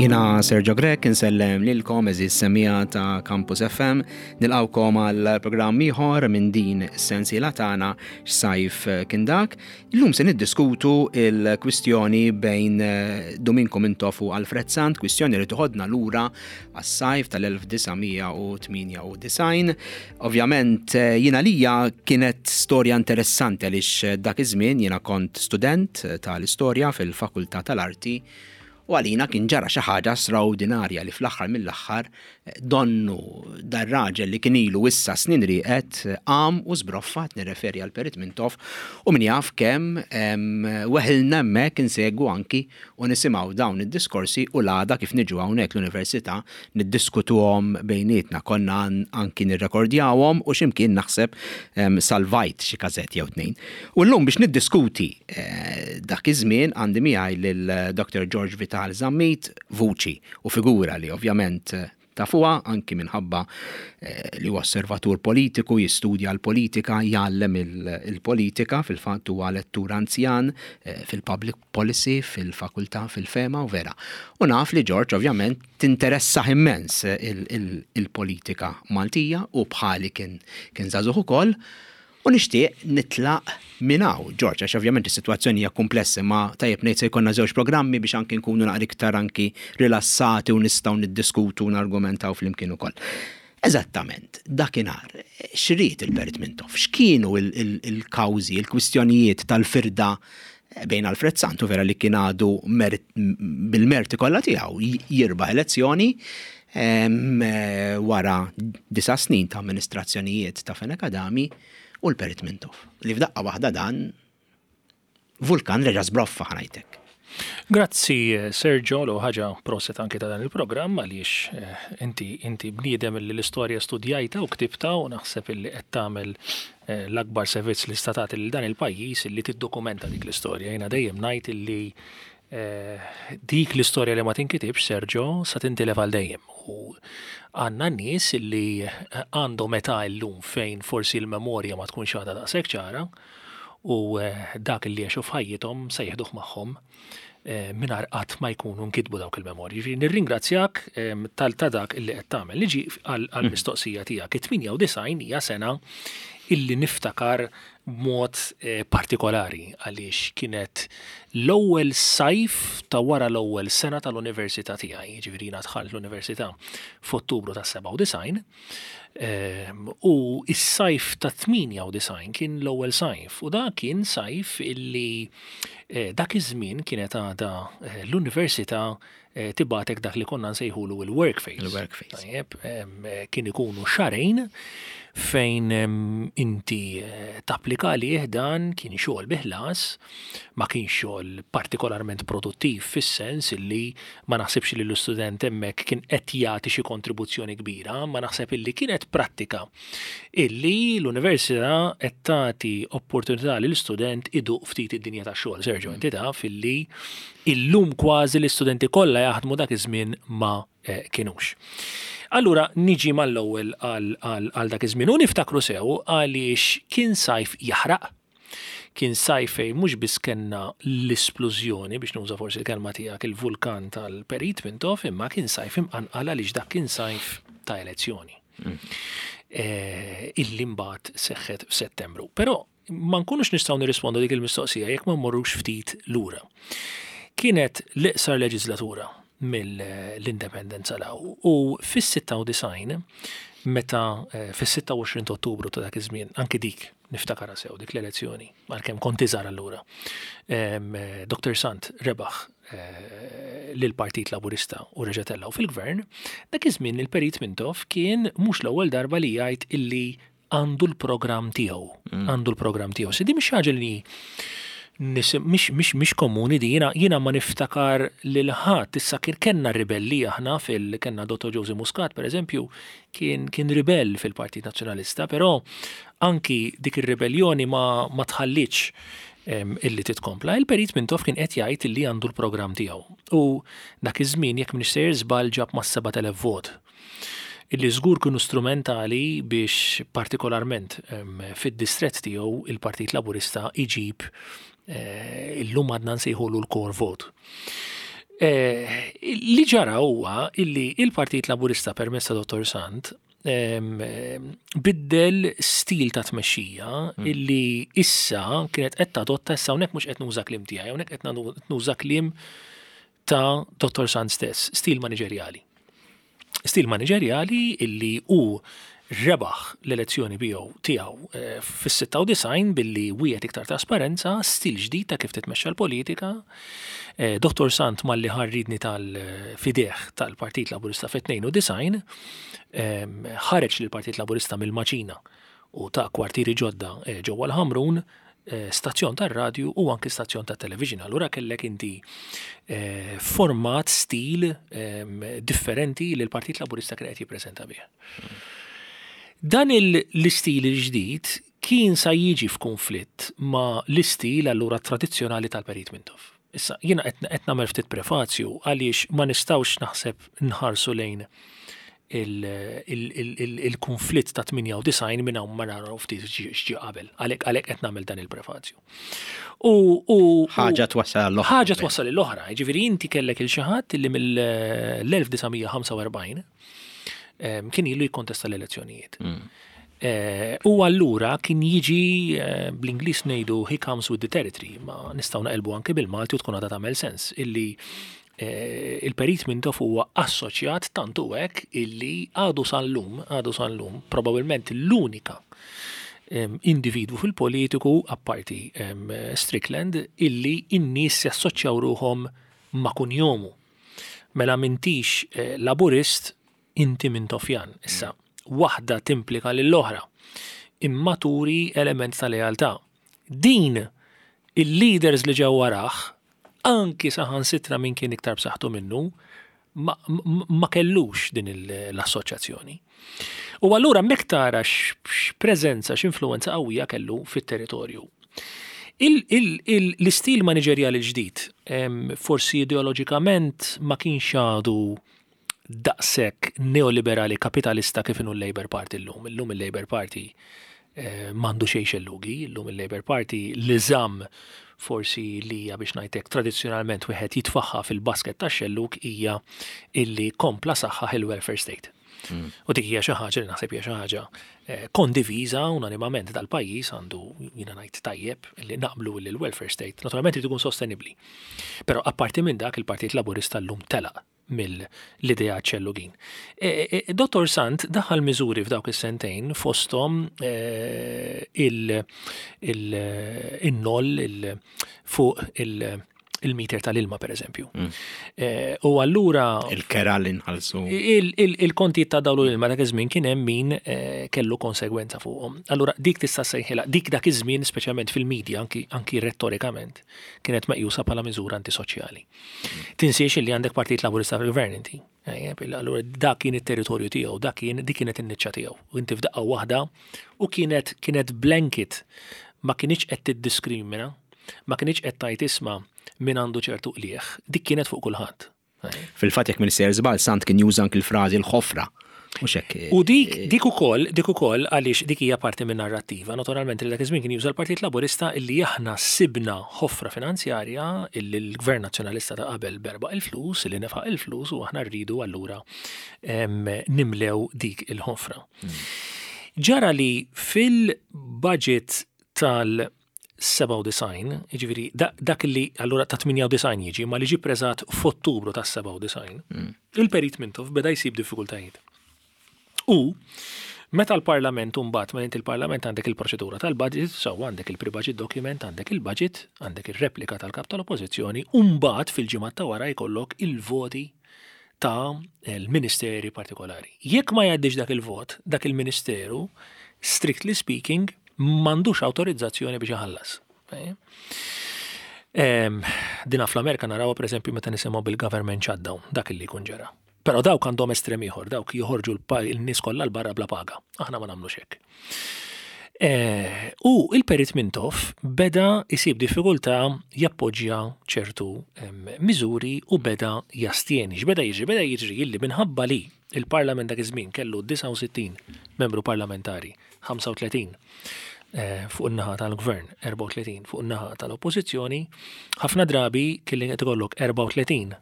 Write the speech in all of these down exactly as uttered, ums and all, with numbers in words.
Jiena Sergio Grech, insellem lilkom, għeżież semmiegħa ta' Campus F M, nilqagħkom għal programm ieħor minn din is-sensiela tagħna X'Sajf Kien Dak. Illum se niddiskutu il-kwistjoni bejn eh, Duminku Mintoff u Alfred Sant, kwistjoni li toħodna lura għas-sajf tal-elf disa' mija u tmienja u disgħin. Ovvjament eh, jiena lija kienet storja interessanti għaliex dak iż-żmien jiena kont student tal-istorja fil-Fakultà tal-Arti. U għalina kien ġara xi ħaġa straordinarja li fl-aħħar mill-aħħar eh, donnu dar-raġel li kien ilu issa snin rieqed eh, qam u żbroffa, nirreferi għal Perit Mintoff, u min jaf kemm weħilna hemmhekk insegwu anki u nisimgħu dawn id-diskorsi u l-għada kif niġu hawnhekk l-università niddiskutuhom bejnietna. Konna anki nirrekordjawhom u x'imkien naħseb salvajt xi każett jew tnejn. U llum biex niddiskuti eh, dak iż-żmien għandi miegħi lil Doctor George Vital Zammit, vuċi u figura li ovvjament eh, tafuha anki minħabba eh, li huwa osservatur politiku, jistudja l-politika, jgħallem il-politika, fil-fatt huwa lettur anzjan eh, fil-public policy, fil-fakultà, fil-FEMA u vera. U naf li George ovvjament tinteressa immens il-politika Maltija u bħali kien kien żagħżugħ ukoll. U nixtieq nitlaq minn hawn, George, għax ovvjament is-sitwazzjoni hija komplessa, ma tajjeb ngħid se jkollna żewġ programmi biex anki nkunu naqra iktar anki rilassati u nistgħu niddiskutu u nargumentaw flimkien ukoll. Eżattament, dakinhar, x'ried il-Perit Mintoff, x'kienu il-kawżi, il-kwistjonijiet tal-firda bejn Alfred Sant, u vera li kien għadu bil-merti kollha tiegħu jirbaħ elezzjoni wara disa' snin ta' amministrazzjonijiet ta' Fenech Adami, u l-Perit Mintoff? Li f'daqqa waħda dan vulkan reġa' żbroffa, ħa ngħidlek. Grazzi, Sergio, l ħaġa prosit anki ta' dan il-programm għaliex eh, inti inti bniedem li l-istorja studjajta u ktibta u naħseb illi qed tagħmel eh, l-akbar servizz li statat lil dan il-pajjiż illi tiddokumenta dik l-istorja. Jiena dejjem ngħid illi eh, dik l-istorja li ma tinkitibx, Sergio, sa tintilef għal dejjem. U għandna nies illi għandhom età llum fejn forsi l-memorja ma tkunx għadha daqshekk ċara u dak li għexu f'ħajjithom se jieħduh magħhom mingħajr qatt ma jkunu nkitbu dawk il-memorji. Ġifieri nirringrazzjak tal ta' dak illi qed tagħmel. Niġi għall-mistoqsija tiegħek. It-tmienja u disgħin hija sena illi niftakar b'mod partikolari għaliex kienet l-ewwel sajf ta' wara l-ewwel sena tal-università tiegħi. Ġifieri jiena dħalt l-università f'Ottubru ta' sebgħa u disgħin u s-sajf ta' tmienja u disgħin kien l-ewwel sajf u da kien sajf illi dak iż-żmien kienet għadha l-università tibgħatek dak li konna nsejħulu il-work phase. Il-work phase. Tajjeb, kien ikunu xahrejn fejn inti tapplika li dan kien xogħol bi ħlas, ma kien xogħol partikolarment produttiv fis-sens illi ma naħsibx li l-istudent hemmhekk kien qed jagħti xi kontribuzzjoni kbira, ma naħseb illi kienet prattika illi l-università qed tagħti opportunità lil student iduq ftit id-dinja tax-xogħol. Sergio, inti taf illi illum kważi l-istudenti kollha jaħdmu, dak iż-żmien ma kienux. Allura niġi mal-ewwel għal dak iż-żmien u niftakru sew għaliex kien sajf jaħraq. Kien sajf fejn mhux biss kellna l-isplużjoni, biex nuża forsi l-kelma tiegħek, il-vulkan tal-Perit Mintoff, imma kien sajf imqanqal għaliex dak kien sajf ta' elezzjoni illi mbagħad seħħet f'Settembru. Però ma nkunux nistgħu nirrispondu dik il-mistoqsija jekk ma mmorrux ftit lura. Kienet l-iqsar leġislatura mill-indipendenza 'l hawn u fis-sitta u disgħin, meta fis-sitta u għoxrin ta' Ottubru ta' dak iż-żmien, anki dik niftakarha sew dik l-elezzjoni, għalkemm kont iżgħar allura. Doctor Sant rebaħ lill-Partit Laburista u reġa' tellgħu fil-gvern, dak iż-żmien il-Perit Mintoff kien mhux l-ewwel darba li jgħid illi għandu l-programm tiegħu, għandu l-programm tiegħu. Se di mhix ħaġa li mhix mhix mhix komuni di, jiena jiena ma niftakar lil ħadd issa kien kellna ribelli aħna fil kellna Dottor Joseph Muscat, per eżempju, kien kien ribell fil-Partit Nazzjonalista, però anki dik ir-ribellioni ma ma tħallitx illi titkompla. Il-Perit Mintoff kien qed jgħid illi għandu l-programm tiegħu. U dak iż-żmien, jekk m'iniex sejjer żball, ġab ma' sebat elef vot illi żgur kienu strumentali biex partikolarment fid-distrett tiegħu il-Partit Laburista iġib, illum għadna nsejħulu l-core vote. Eh, li ġara huwa illi il-Partit Laburista permezz ta' Dottor Sant em, em, biddel stil ta' tmexxija Mm. illi issa kienet qed tadotta. Issa hawnhekk mhux qed nuża kliem tiegħi, hawnhekk qed nuża kliem ta' Dottor Sant stess, stil maniġerjali. Stil maniġerjali illi hu rebaħ l-elezzjoni biegħu tiegħu eh, fis-sitta u disgħin billi wiegħed iktar trasparenza, stil ġdid ta' kif titmexxa l-politika. Eh, Dottor Sant malli ħa r-riedni tal-fideh tal-Partit Laburista fit-tnejn u disgħin em, ħareġ lill-Partit Laburista mill-maċina u ta kwartieri ġodda eh, ġewwa l-Ħamrun, eh, stazzjon tar-radju u anki stazzjon tat television. Allura kellek inti eh, format, stil em, differenti li l-Partit Laburista kien qed jippreżenta bih. Dan il- l-istil il-ġdid kien sa jiġi f'konflitt ma l-istil allura tradizzjonali tal-Perit Mintoff. Issa, jiena qed qed nagħmel ftit prefazju għaliex ma nistgħux naħseb nħarsu lejn il-konflitt ta' tmienja u disgħin minn hawn ma naraw ftit x'ġie qabel. Għalhekk għalhekk qed nagħmel dan il-prefazju. U u- Ħaġa twassal l-oħra. Ħaġa twassal l-oħra, ġifieri inti kellek lil xi ħadd li mill-elf disa' mija ħamsa u erbgħin em, kien ilu jikkontesta l-elezzjonijiet. Eh, U allura kien jiġi, eh, bl-Ingliż ngħidu "he comes with the territory", ma nistgħu naqilbu anke bil-Malti u tkun għadha tagħmel sens illi eh, il-Perit Mintoff huwa assoċjat tantu hekk illi għadu sal-lum, għadu sal-lum, probabbilment l-unika em, individwu fil-politiku, apparti em, Strickland, illi in-nies jassoċjaw ruħhom ma' kunjomu. Mela m'intix eh, laburist, inti Mintoffjan. Issa, waħda timplika lill-oħra. Imma turi element ta' lealtà. Din il-leaders li ġew warah, anki saħansitra min kien iktar b'saħħtu minnu, ma, ma, ma kellux din il- l-assoċjazzjoni. U allura mek tara x'preżenza, x'influenza qawwija kellu fit-territorju. Il- il- il- L-istil maniġerjali ġdid, em, forsi ideoloġikament ma kienx għadu daqshekk neoliberali kapitalista kif inhu l-Labour Party llum. Illum il-Labour Party eh, m'għandu xejn xellugi, illum il-Labour Party li żamm forsi li hija, biex ngħidlek, tradizzjonalment wieħed jitfaħħa fil-basket ta' xelluk hija illi kompla saħħaħ il-welfare state. U dik hija xi ħaġa li naħseb hija xi ħaġa eh, kondiviża unanimament dal-pajjiż għandu, jiena ngħid tajjeb li naqblu li l-welfare state naturalment irid ikun sostenibbli. Però apparti minn dak, il-Partit Laburista llum telaq mill-idea xellugin. E, e, Dottor Sant daħal miżuri f'dawk is-sentejn, fosthom eh, il- il- in-noll il- fuq il- il-meter tal-ilma, per eżempju. Eh, U allura Il-kera li nħallsu. il- il- il-konti ta' dawl u l-ilma dak iż-żmien kien hemm min eh, kellu konsegwenza fuqhom. Allura dik tista' sejħilha, dik dak iż-żmien, speċjalment fil-medja, anki anki rettorikament, kienet meqjusa bħala miżura antisoċjali. Tinsiex li għandek Partit Laburista fil-gvern inti. Ejjeb, allura dak kien it-territorju tiegħu, dak kien dik kienet in-niċċa tiegħu. U inti f'daqqa waħda u kienet kienet blanket, ma kienx qed tiddiskrimina, ma kienx qed tgħid isma' min għandu ċertu qlieħ, dik kienet fuq kulħadd. Fil-fatt, jekk m'iniex sejjer żball, Sant kien juża anki l-frażi l-ħofra. Mhux hekk? U dik dik ukoll, dik ukoll għaliex dik hija parti minn narrattiva. Naturalment li dak iż-żmien kien juża l-Partit Laburista illi aħna sibna ħofra finanzjarja, illi l-Gvern Nazzjonalista ta' qabel berbaq il-flus, illi nefaq il-flus u aħna rridu allura em, nimlew dik il-ħofra. Ġara li fil-budget tal sebgħa u disgħin, jiġifieri dak li allura ta' tmienja u disgħin jiġi, ma li ġi preżentat f'Ottubru ta' sebgħa u disgħin, il-Perit Mintoff beda jsib diffikultajiet. U meta l-Parlament mbagħad, meta inti il-Parlament għandek il-proċedura tal-budget, so għandek il-pre-budget document, għandek il-budget, għandek il-replika tal-kap tal-Oppożizzjoni, u mbagħad fil-ġimgħat ta' wara jkollok il-voti ta' l-ministeri partikolari. Jekk ma jgħaddix dak il-vot, dak il-ministeru, strictly speaking, m'għandux autorizzazzjoni biex iħallas. Em, Dina fl-Amerika naraw, per eżempju, meta nisimgħu bil-government shutdown, dak illi jkun ġara. Però dawk għandhom estrem ieħor, dawk joħorġu l-nies kollha 'l barra bla paga. Aħna ma nagħmlux hekk. Eh, U il-Perit Mintoff beda isib diffikultà jappoġġja ċertu em, miżuri u beda jastjeni. X'beda jiġri? Beda jiġri illi minħabba li il-Parlament dak iż-żmien kellu disgħa u sittin membru parlamentari, ħamsa u tletin eh, fuq in-naħa tal-gvern, erbgħa u tletin fuq in-naħa tal-oppożizzjoni, ħafna drabi kelli qed ikollok erbgħa u tletin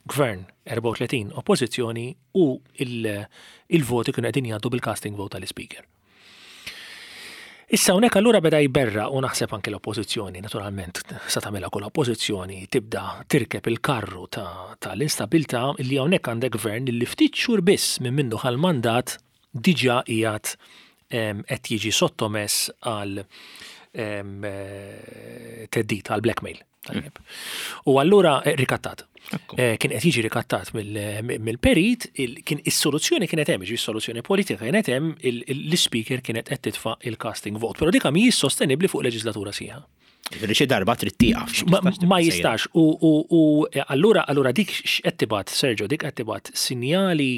gvern, erbgħa u tletin oppożizzjoni u il-voti kienu qegħdin jgħaddu bil-casting vote tal-Speaker. Issa hawnhekk allura beda jberra u naħseb anke l-oppożizzjoni, naturalment, sa tagħmilha kull oppożizzjoni, tibda tirkeb il-karru ta' tal-instabilità li hawnhekk għandek gvern li ftit xhur biss minn minnu mandat diġà qiegħed qed jiġi sottomess għal theddid, għal blackmail. Tajjeb. U allura eh, rikattat. Eh, kien qed jiġi rikattat mill-perit, kien is-soluzzjoni kienet hemm, ġi soluzzjoni politika kienet hemm, l-Speaker kienet qed titfa' il-casting vote. Però dik mhijiex sostenibbli fuq leġislatura sħiħa. Ġifieri xi darba trid tieqaf. Ma jistax u allura allura dik x'qed tibgħat, Sergio, dik qed tibgħat sinjali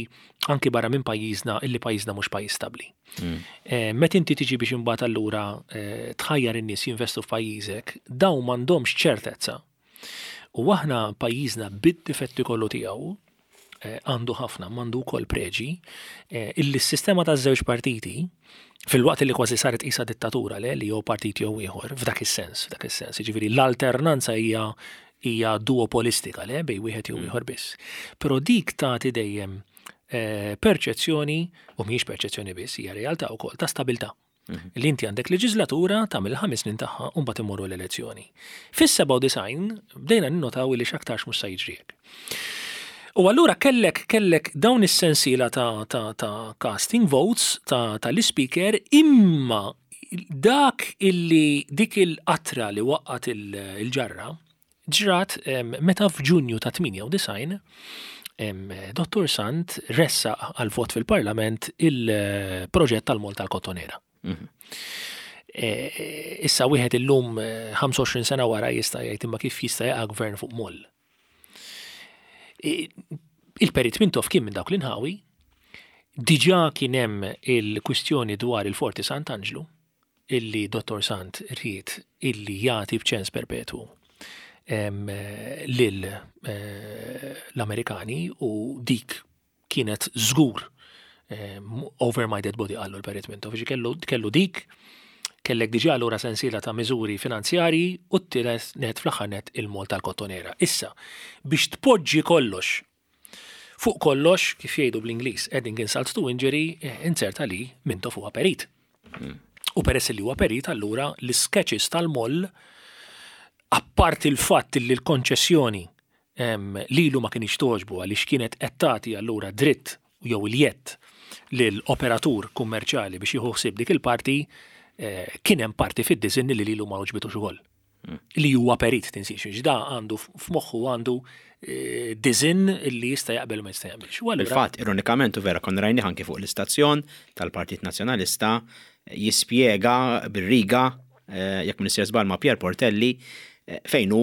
anki barra minn pajjiżna illi pajjiżna mhux pajjiż stabbli. Mm. Eh, meta inti tiġi biex imbagħad allura eh, tħajjar in-nies jinvestu f'pajjiżek, dawn m'għandhomx ċertezza. U aħna pajjiżna bid-difetti kollu tiegħu eh, għandu ħafna, m'għandu wkoll preġi, illi s-sistema ta' żewġ partiti, filwaqt li kważi saret isa dittatura le li jew partit jew ieħor, f'dak is-sens, f'dak is-sens, jiġifieri l-alternanza hija hija duopolistika le bej wieħed jew mm. ieħor biss. Però dik tagħti dejjem eh, perċezzjoni, u mhijiex perċezzjoni biss, hija realtà wkoll ta' stabilità. Mhm. Li inti għandek leġislatura tagħmel ħames snin tagħha u mbagħad immorru l-elezzjoni. Fis-sebgħa u disgħin bdejna ninnotaw li x'aktarx mhux se jiġri hekk. U allura kellek kellek dawn is-sensiela ta', ta, ta' casting votes ta' tal-Speaker, imma dak illi dik il-qatra li waqqat il-ġarra ġrat meta f'Ġunju ta' tmienja u disgħin Dottor Sant ressaq għal vot fil-Parlament il-proġett tal-Moll tal-Kottonera. Mhm. E, issa wieħed illum ħamsa u għoxrin sena wara jista' jgħid, imma kif jista' jaqa' gvern fuq moll? Il-Perit Mintoff kien minn dawk l-inħawi, diġà kien hemm il-kwistjoni dwar il-Forti Sant'Anġlu, illi Dottor Sant ried illi jagħti b'ċens perpetwu lil eh, l-Amerikani u dik kienet żgur over my dead body, qallu l-Perit Mintoff. Kellu, kellu dik, kellek diġà allura sensiela ta' miżuri finanzjari u t-tielet net, fl-aħħar net, il-Moll tal-Kottonera. Issa, biex tpoġġi kollox fuq kollox, kif jgħidu bl-Ingliż, adding insult to injury, eh, inserta li Mintoff huwa perit. Mm. U peress li huwa perit, allura l-sketches tal-moll, apart il-fatt li l-konċessjoni lilu ma kienx togħġbu għaliex kienet qed tagħti allura dritt jew il-jett lill-operatur kummerċjali biex jieħu ħsieb dik il-parti, eh, kien hemm parti fid-disinn li lilu ma għoġbitux ukoll. Mm. Li huwa perit, tinsiex, da għandu f'moħħu għandu eh, disinn li jista' jaqbel u ma jista' jaqbilx. Il-fatt, ironikament, u vera konna rajni anki fuq l-istazzjon tal-Partit Nazzjonalista jispjega bir-riga, eh, jekk m'iniex żball ma' Pier Portelli, fejn hu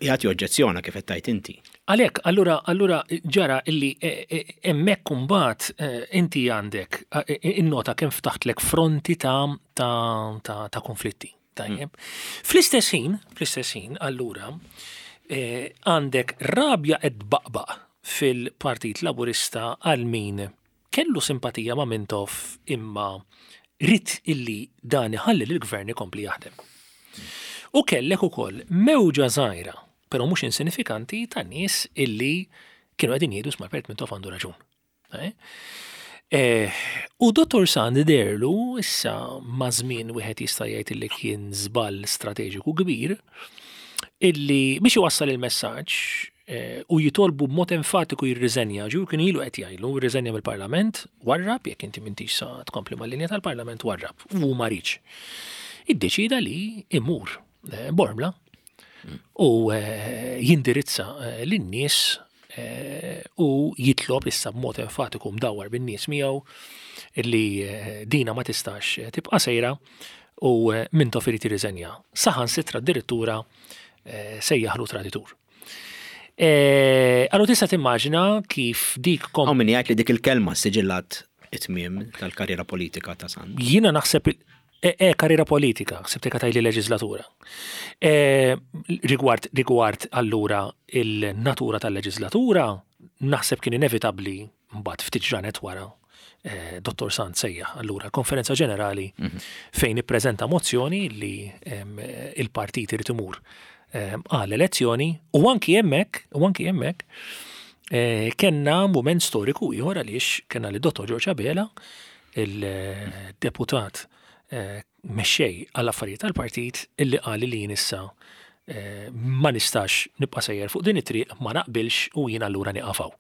jagħti oġġezzjona kif qed tgħid inti. Għalhekk, allura allura ġara illi hemmhekk imbagħad inti għandek innota kemm ftaħtlek fronti ta' ta' ta', ta konflitti. Tajjeb. Fl-istess ħin, fl-istess ħin, allura, għandek rabja qed tbaqbaq fil-Partit Laburista għal min kellu simpatija ma' Mintoff imma ried illi dan iħalli l-gvern ikompli jaħdem. U kellek ukoll mewġa żgħira, però mhux insinifikanti, ta' nies illi kienu qegħdin jgħidu, isma', Perit Mintoff għandu raġun. Eh? Eh, u Dottor Sant deherlu, issa ma' żmien wieħed jista' jgħid illi kien żball strateġiku kbir, illi biex iwassal il-messaġġ eh, u jitolbu b'mod enfatiku jirriżenja, ġu kien ilu qed jgħidlu jirriżenja mill-Parlament, warrab, jekk inti m'intix sa tkompli mal-linja tal-Parlament, warrab, u ma riedx. Iddeċida li imur eh, Bormla u jindirizza lin-nies u jitlob issa b'mod enfatiku, mdawwar bin-nies miegħu, illi dina ma tistax tibqa' sejra u Mintoff irid jirriżenja. Saħansitra addirittura sejjaħlu traditur. Allura tista' timmaġina kif dik kom. Hawn min jgħid li dik il-kelma siġillat it-tmiem tal-karriera politika ta' Sant. Jiena naħseb E, e karriera politika, ħsibt tgħidli leġislatura. E, rigward, rigward allura il-natura tal-leġislatura, naħseb kien inevitabli mbagħad ftit ġranet wara eh, Dottor Sant sejjaħ allura konferenza ġenerali mhm. fejn ippreżenta mozzjoni li il-partit irid imur għal elezzjoni u anki hemmhekk, u anki hemmhekk kellna mument storiku ieħor għaliex kellna li Dottor George Abela, il-deputat mexxej għall-affarijiet tal-partit, illi qal li jien issa ma nistax nibqa' sejjer fuq din it-triq, ma naqbilx u jien allura nieqaf hawn.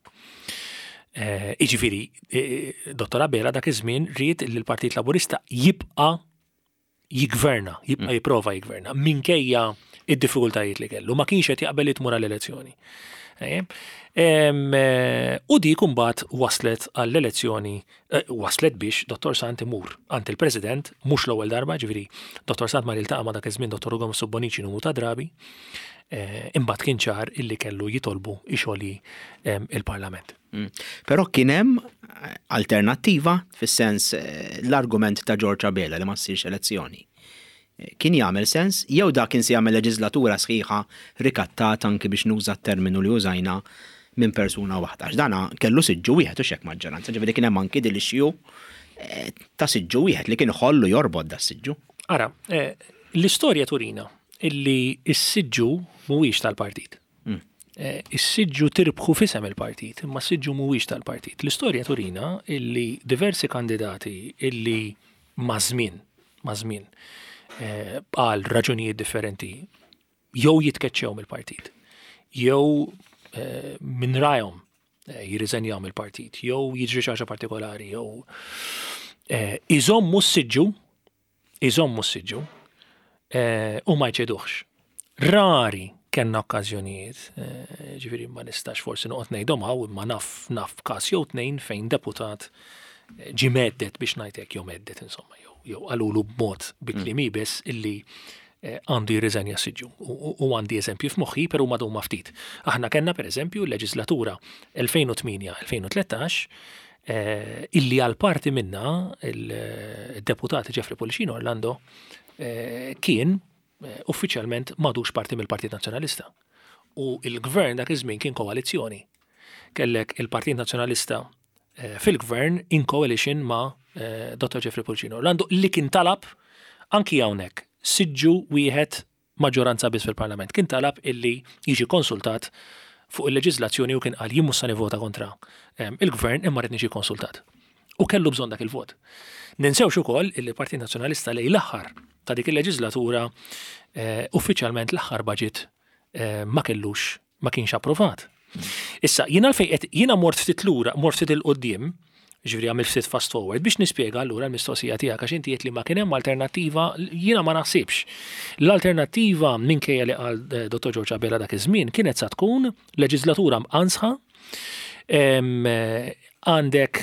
Jiġifieri, Dottor Abela dak iż-żmien ried li l-Partit Laburista jibqa' jigverna, jibqa' jipprova jigverna, minkejja id-diffikultajiet li kellu, ma kienx qed jaqbel li tmur għall-elezzjoni. U dik imbagħad waslet għall-elezzjoni, waslet biex Dottor Sant imur għand il-President, mhux l-ewwel darba, ġifieri Dottor Sant mar jiltaqa' ma' dak iż-żmien Dottor Ugo Mifsud Bonnici numru ta' drabi, imbagħad kien ċar illi kellu jitolbu ixogħli il-Parlament. Però kien hemm alternattiva fis-sens l-argument ta' George Abela li ma ssirx elezzjoni. Kien jagħmel sens jew dak kien se jagħmel leġislatura sħiħa rikattat anki biex nuża t-terminu li użajna minn persuna waħda. Għax dana kellu siġġu wieħed u xek maġġoranza, ġifieri kien hemm anki din l-issue ta' siġġu wieħed li kien iħollu jorbot da siġġu. Ara, l-istorja turina illi s-siġġu mhuwiex tal-partit. Is-siġġu tirbħu f'isem il-partit, imma s-siġġu mhuwiex tal-partit. L-istorja turina illi diversi kandidati illi maż-żmien, maż-żmien, għal raġunijiet differenti, jew jitkeċċew mill-partit, jew minn rajhom jirriżenjaw mill-partit, jew jiġri xi ħaġa partikolari, jew iżommu s-siġġu, iżommu s-siġġu u ma jċeduhx. Rari kellna okkażjonijiet, ġifieri ma nistax forsi noqgħod ngħidhom hawn, imma naf naf każ jew tnejn fejn deputat ġie mhedded biex ngħidlek jew mhedded insomma, jew jew qalulu b'mod bi kliem iebes illi għandu jirriżenja s-siġġu. U għandi eżempju f'moħħi, però ma huma ftit. Aħna kellna pereżempju l-leġislatura elfejn u tmienja elfejn u tlettax illi għal parti minna il-deputat Jeffrey Pullicino Orlando kien uffiċjalment m'għadux parti mill-Partit Nazzjonalista. U il-gvern dak iż-żmien kien koalizzjoni. Kellek il-Partit Nazzjonalista fil-gvern in coalition ma' Dottor Jeffrey Pullicino Orlando li kien talab anki hawnhekk siġġu wieħed maġġoranza biss fil-Parlament. Kien talab illi jiġi konsultat fuq il-leġiżlazzjoni u kien qal jien mhux se nivvota kontra il-gvern imma rrid niġi konsultat. U kellu bżonn dak il-vot. Ninsewx ukoll illi l-Partit Nazzjonalista lejn l-aħħar ta' dik il-leġiżlatura uffiċjalment l-aħħar budget ma kellux, ma kienx approvat. Issa, jiena għalfejn qed jiena mort ftit lura, mort ftit il-qudiem, ġifieri għamil ftit fast forward biex nispjega allura l-mistoqsija tiegħek għax inti qed li ma kien hemm alternattiva, jiena ma naħsibx. L-alternattiva minkejja li qal Dottor George Abela dak iż-żmien kienet sa tkun leġislatura mqansħa, għandek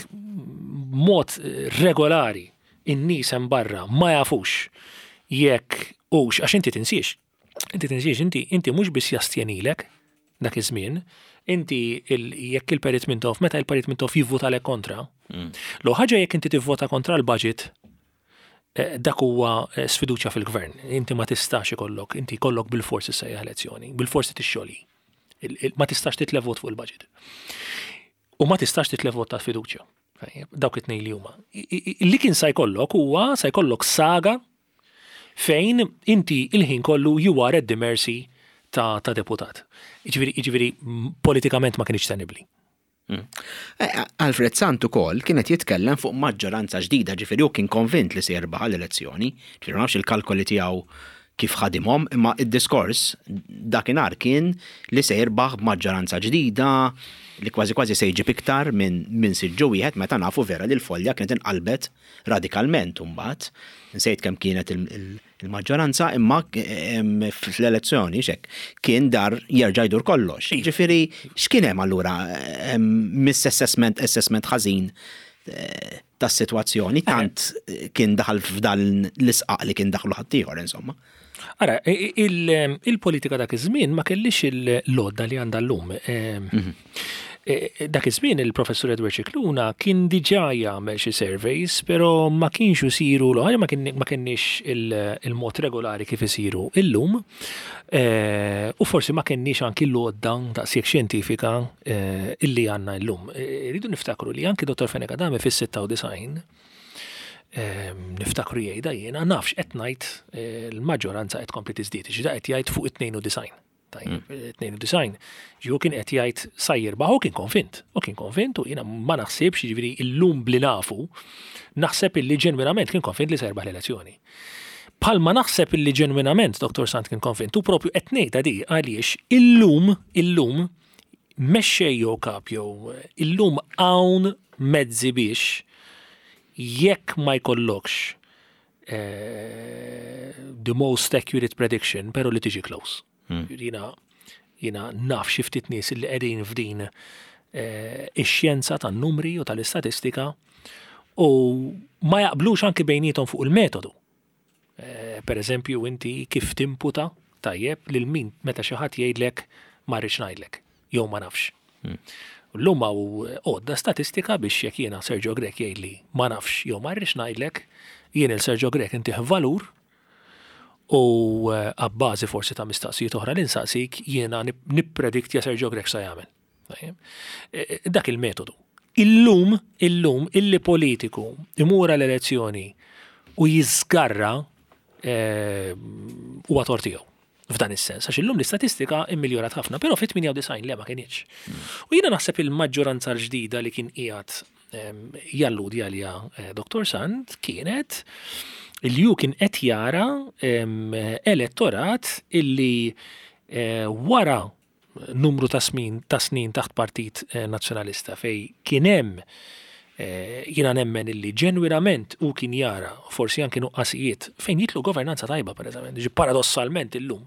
mod regolari in-nies hemm barra ma jafux jekk hux, għax inti tinsiex, inti tinsiex, inti, inti mhux biss jastjenilek dak iż-żmien, inti jekk il-Perit Mintoff, meta il-Perit Mintoff jivvota lek kontra, lo ħaġa jekk inti tivvota kontra l-budget, dak huwa sfiduċja fil-gvern. Inti ma tistax ikollok, inti jkollok bil-forsi sejjaħ elezzjoni, bil-forsi tixxoli. Ma tistax titlef vot fuq il-budget. U ma tistax titlef vot ta' fiduċja. Dawk it-tnejn li huma. Li kien sa jkollok huwa sa jkollok saga fejn inti il-ħin kollu you are at the mercy ta', ta' deputat. Jiġifieri, jiġifieri politikament ma kienx tenibbli. Alfred Sant ukoll kienet jitkellem fuq maġġoranza ġdida, ġifieri hu kien konvint li se jirbaħ l-elezzjoni, ġifieri ma nafx il-kalkoli tiegħu kif ħadimhom, imma id-diskors dakinhar kien li se jirbaħ b'maġġoranza ġdida, li kważi kważi se jġib iktar minn, minn siġġu wieħed, meta nafu vera li l-folja kienet inqalbet radikalment imbagħad. Nsejt kemm kienet il-, il-, il-maġġoranza, imma fl-elezzjoni xek kien dar jerġa' jdur kollox. Ġifieri x'kien hemm allura miss-assessment, assessment ħażin tas-sitwazzjoni, tant kien daħal f'dan l-isqaq li kien daħlu ħaddieħor insomma. Ara, il-, il-politika dak iż-żmien ma kellix il-lodda li għandha llum. Dak iż-żmien il-professur Edward Scicluna kien diġà jagħmel xi surveys, però ma kienx isiru l-ħaġa, ma kien, ma kienx il-mod regolari kif isiru illum, u forsi ma kienx anki l-għodda daqshekk xjentifika illi għandna llum. Irridu niftakru li anki Dottor Fenech Adami fis-sitta u disgħin Niftakru jgħidha jiena nafx qed ngħid l-maġġoranza qed tkompli tiżdied, ġida qed jgħid fuq it-tnejn u disgħin. Tajjeb, tnejn u disgħin. Ġi kien qed jgħid sa jirbaħ u kien konvint. U kien konvint u jiena ma naħsibx, jiġifieri illum bli nafu, naħseb illi ġenwinament kien konvint li se jirbaħ l-elezzjoni. Palma naħseb illi ġenwinament Dottor Sant kien konvint u propju qed ngħidha di għaliex illum, illum mexxej jew kap jew illum hawn mezzi biex jekk ma jkollokx eh, the most accurate prediction, pero li tiġi close. Hmm. Jiena jiena naf xi ftit nies li qegħdin f'din eh, ix-xjenza tan-numri u tal-istatistika u ma jaqblux anki bejnietom fuq il-metodu. Eh, per eżempju, inti kif timputa tajjeb lil min meta xi ħadd jgħidlek ma rridx ngħidlek jew ma nafx. Hmm. Llum hawn għodda statistika biex jekk jiena Sergio Grech jgħidli ma nafx jew ma rridx ngħidlek, jien il Sergio Grech intih valur u eh, abbażi forsi ta' mistaqsijiet oħra li nsaqsik jiena nipprediktja Sergio Grech sa jagħmel. E, e, dak il-metodu. Illum, illum, illi politiku imur l-elezzjoni u jiżgarra huwa tort tiegħu f'dan is-sens, għax illum l-istatistika immiljorat ħafna, però fit-tmienja u disgħin le ma kienx. U jiena naħseb il-maġġoranza l-ġdida li kien qiegħed jalludi għalija eh, Dottor Sant kienet il ju kien qed jara elettorat illi eh, wara numru ta' snin ta' snin taħt Partit eh, Nazzjonalista fej kien hemm jiena nemmen illi ġenwinament u kien jara forsi anki nuqqasijiet fejn jitlu governanza tajba, per eżempju, paradossalment illum.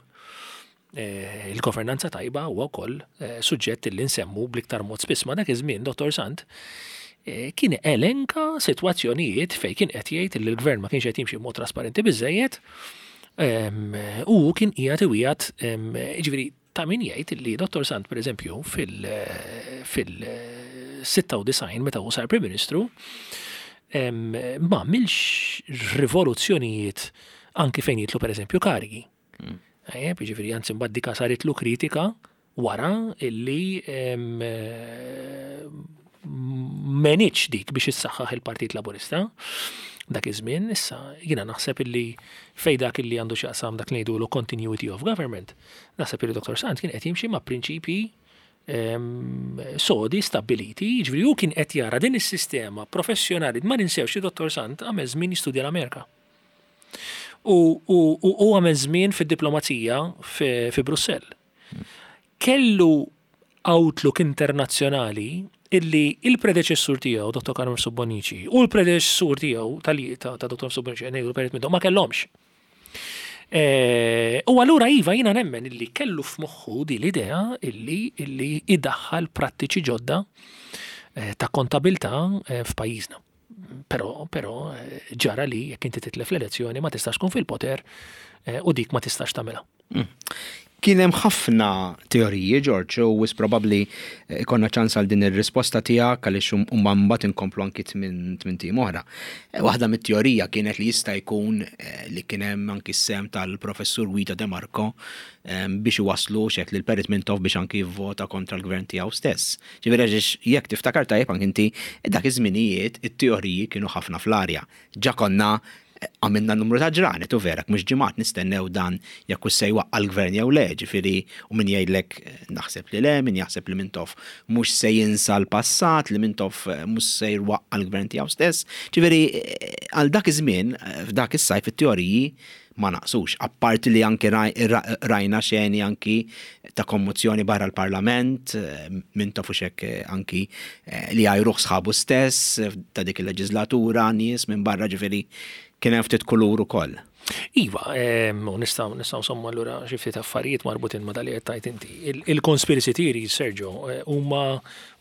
Il-governanza tajba huwa wkoll suġġett illi nsemmu bl-iktar mod spiss ma dak iż-żmien Dottor Sant kien elenka sitwazzjonijiet fejn kien qed jgħid li l-gvern ma kienx qed jimxi b'mod trasparenti biżejjed u kien qiegħed iwiegħed, jiġifieri ta' min jgħid li Dottor Sant pereżempju fil-sitta u disgħin meta hu sar Prim Ministru ma għamilx rivoluzzjonijiet anki fejn jitlu pereżempju karigi. Ejjeb, jiġifieri anzi mbagħad dika saritlu kritika wara illi m'għenitx dik biex issaħħaħ il-Partit Laburista. Dak iż-żmien issa jiena naħseb illi fej dak illi għandu x'jaqsam dak li ngħidulu continuity of government, naħseb illi Dottor Sant kien qed jimxi ma' prinċipji sodi stabiliti, jiġifieri hu kien qed jara din is-sistema professjonali, ma ninsewx li Dottor Sant għamel żmien jistudja l-Amerika. U, u, u, u għamel żmien fid-diplomazija fi, fi Brussell. Kellu outlook internazzjonali illi il-predeċessur tiegħu, Dottor Carmen Mifsud Bonnici, u l-predeċessur tiegħu tal ta', ta' Dottor Mifsud Bonnici, ngħidu Perit Mintoff, ma kellhomx. E, u allura iva jiena nemmen illi kellu f'moħħu di l-idea illi, illi idaħħal prattiċi ġodda eh, ta' kontabilta eh, f'pajjiżna. Però, però ġara li jekk inti titlef l-elezzjoni ma tistax tkun fil-poter eh, u dik ma tistax tagħmilha. Mm. Kien hemm ħafna teoriji, George, u wis probabbli ikonna ċans għal din ir-risposta tiegħek għaliex huma mbagħad inkomplu anki tmien tim oħra. Waħda mit-teorija kienet li jista' jkun li kien hemm anki s-sem tal-professur Guido De Marco biex iwasslu xek lil Perit Mintoff biex anki jivvota kontra l-gvern tiegħu stess. Ġifieri għax jekk tiftakar tajjeb anki inti dak iż-żminijiet it-teoriji kienu ħafna fl-arja. Ġa konna għamilna numru ta' ġranet u vera, mhux ġimgħat nistennew dan jekk hux se jwaqqa' l-gvern jew le, ġifieri u min jgħidlek naħseb li le, min jaħseb li Mintoff mhux se jinsa l-passat, li Mintoff mhux se jwaqqa' l-gvern tiegħu stess. Ġifieri għal dak iż-żmien, f'dak is-sajf it-teoriji ma naqsux, apparti li anki rajna xeni anki ta' kommozzjoni barra l-parlament, Mintoff u xek anki li għajruħ sħabu stess ta' dik il-leġislatura, nies minn barra, ġifieri kien hemm ftit kulur ukoll. Iva, u nistgħu nistgħu nsommu allura xi ftit affarijiet marbutin ma' dak li qed tgħid inti. Il-conspiracy theories, Sergio, huma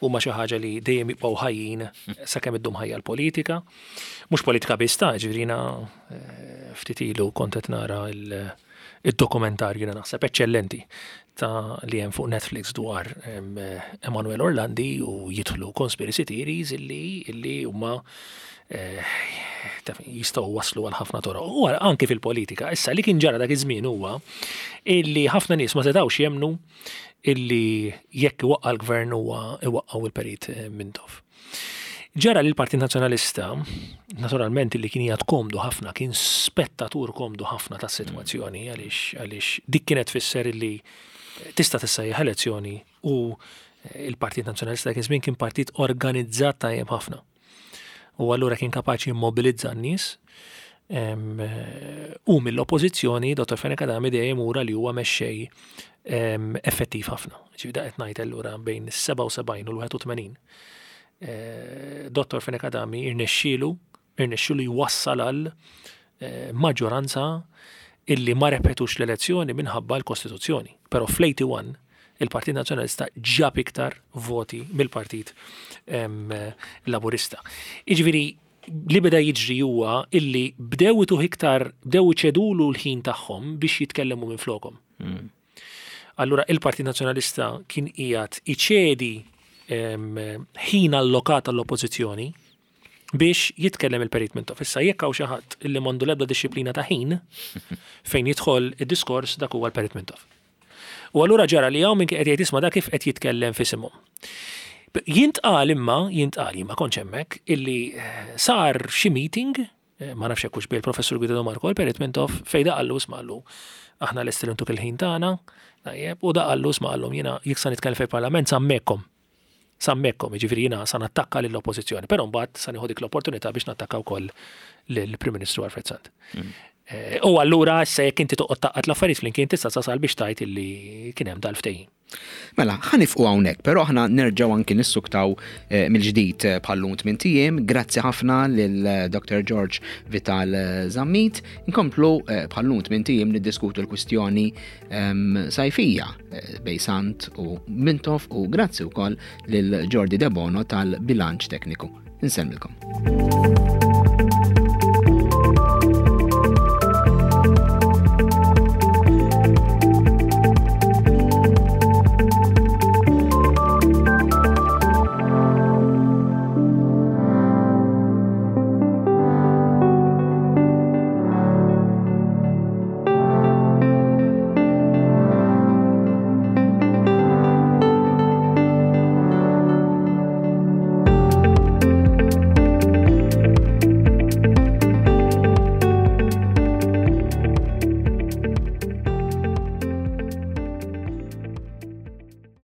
huma xi ħaġa li dejjem jibqgħu ħajjin sakemm iddum ħajja l-politika. Mhux politika biss ta' ġifieri jiena ftit ilu kont qed nara il-dokumentarju jiena naħseb eċċellenti ta' li hemm fuq Netflix dwar Emanuel Orlandi u jidħlu conspiracy theories illi illi huma jistgħu waslu għal ħafna toroq. U anki fil-politika, issa li kien ġara dak iż-żmien huwa illi ħafna nies ma setgħux jemnu illi jekk iwaqqa' l-gvern huwa iwaqqgħu il-Perit Mintoff. Ġara li l-Partit Nazzjonalista, naturalment li kien jgħad komdu ħafna, kien spettatur komdu ħafna ta' situazzjoni, għaliex għaliex dik kienet tfisser li tista' tissejjaħ elezzjoni u il-Partit Nazzjonalista dak iż-żmien kien partit organizzat tajjeb ħafna. U allura kien kapaċi jimmobilizza n-nies u mill-oppożizzjoni Dottor Fenech Adami dejjem ura li huwa mexxej effettiv ħafna. Ġifieri da qed ngħid allura bejn is-sebgħa u sebgħin u l-wieħed u tmenin. Eh, Dottor Fenech Adami irnexxielu irnexxielu jwassal għal eh, maġġoranza illi ma repetux l-elezzjoni minħabba l-Kostituzzjoni. Però fl-wieħed u tmenin il-Partit Nazzjonalista ġab iktar voti mill-Partit Laburista. Iġifieri li beda jiġri huwa illi bdew ituh iktar, bdew iċedulu l-ħin tagħhom biex jitkellmu minn flokhom. Mm. Allura il-Partit Nazzjonalista kien qiegħed iċedi ħin allokat għall-oppożizzjoni biex jitkellem il-Perit Mintoff. Issa jekk hawn xi ħadd illi m'għandu l-ebda dixxiplina ta' ħin fejn jidħol id-diskors, dak huwa l-Perit Mintoff. U allura ġara li hawn minn qed jgħid, "Isma', da kif qed jitkellem f'isimhom?" Jintqal imma, jintqal, jien ma kontx hemmhekk, illi eh, sar xi meeting, eh, ma nafx hekk bil professur Guido de Marco, il-Perit Mintoff, fejn da qallu, "Isma'," qallu, "aħna lesti li ntuk il-ħin tagħna," tajjeb, u da qallu, "Isma'," qallhom, "jiena jekk sa nitkellem fil-Parlament sa hemmhekk. Sa hemmhekk, jiġifieri jiena sa nattakka lill-oppożizzjoni, però mbagħad sa nieħu dik l-opportunità biex nattakka wkoll lill-Prim Ministru Alfred Sant." Mm. Eh, u allura issa jekk inti toqgħod tgħaqqad l-affarijiet flimkien tista' tasal biex tgħid illi kien hemm dal-ftehim. Mela, ħa nieqfu hawnhekk, però aħna nerġgħu anki nissuktaw eh, mill-ġdid eh, bħallum tmint ijiem. Grazzi ħafna lil Doctor George Vital Zammit. Inkomplu bħallum tmint ijiem niddiskutu l-kwistjoni ehm, sajfija bejn Sant u Mintoff u grazzi wkoll lil Jordi Debono tal-bilanċ tekniku. Insellmilkom.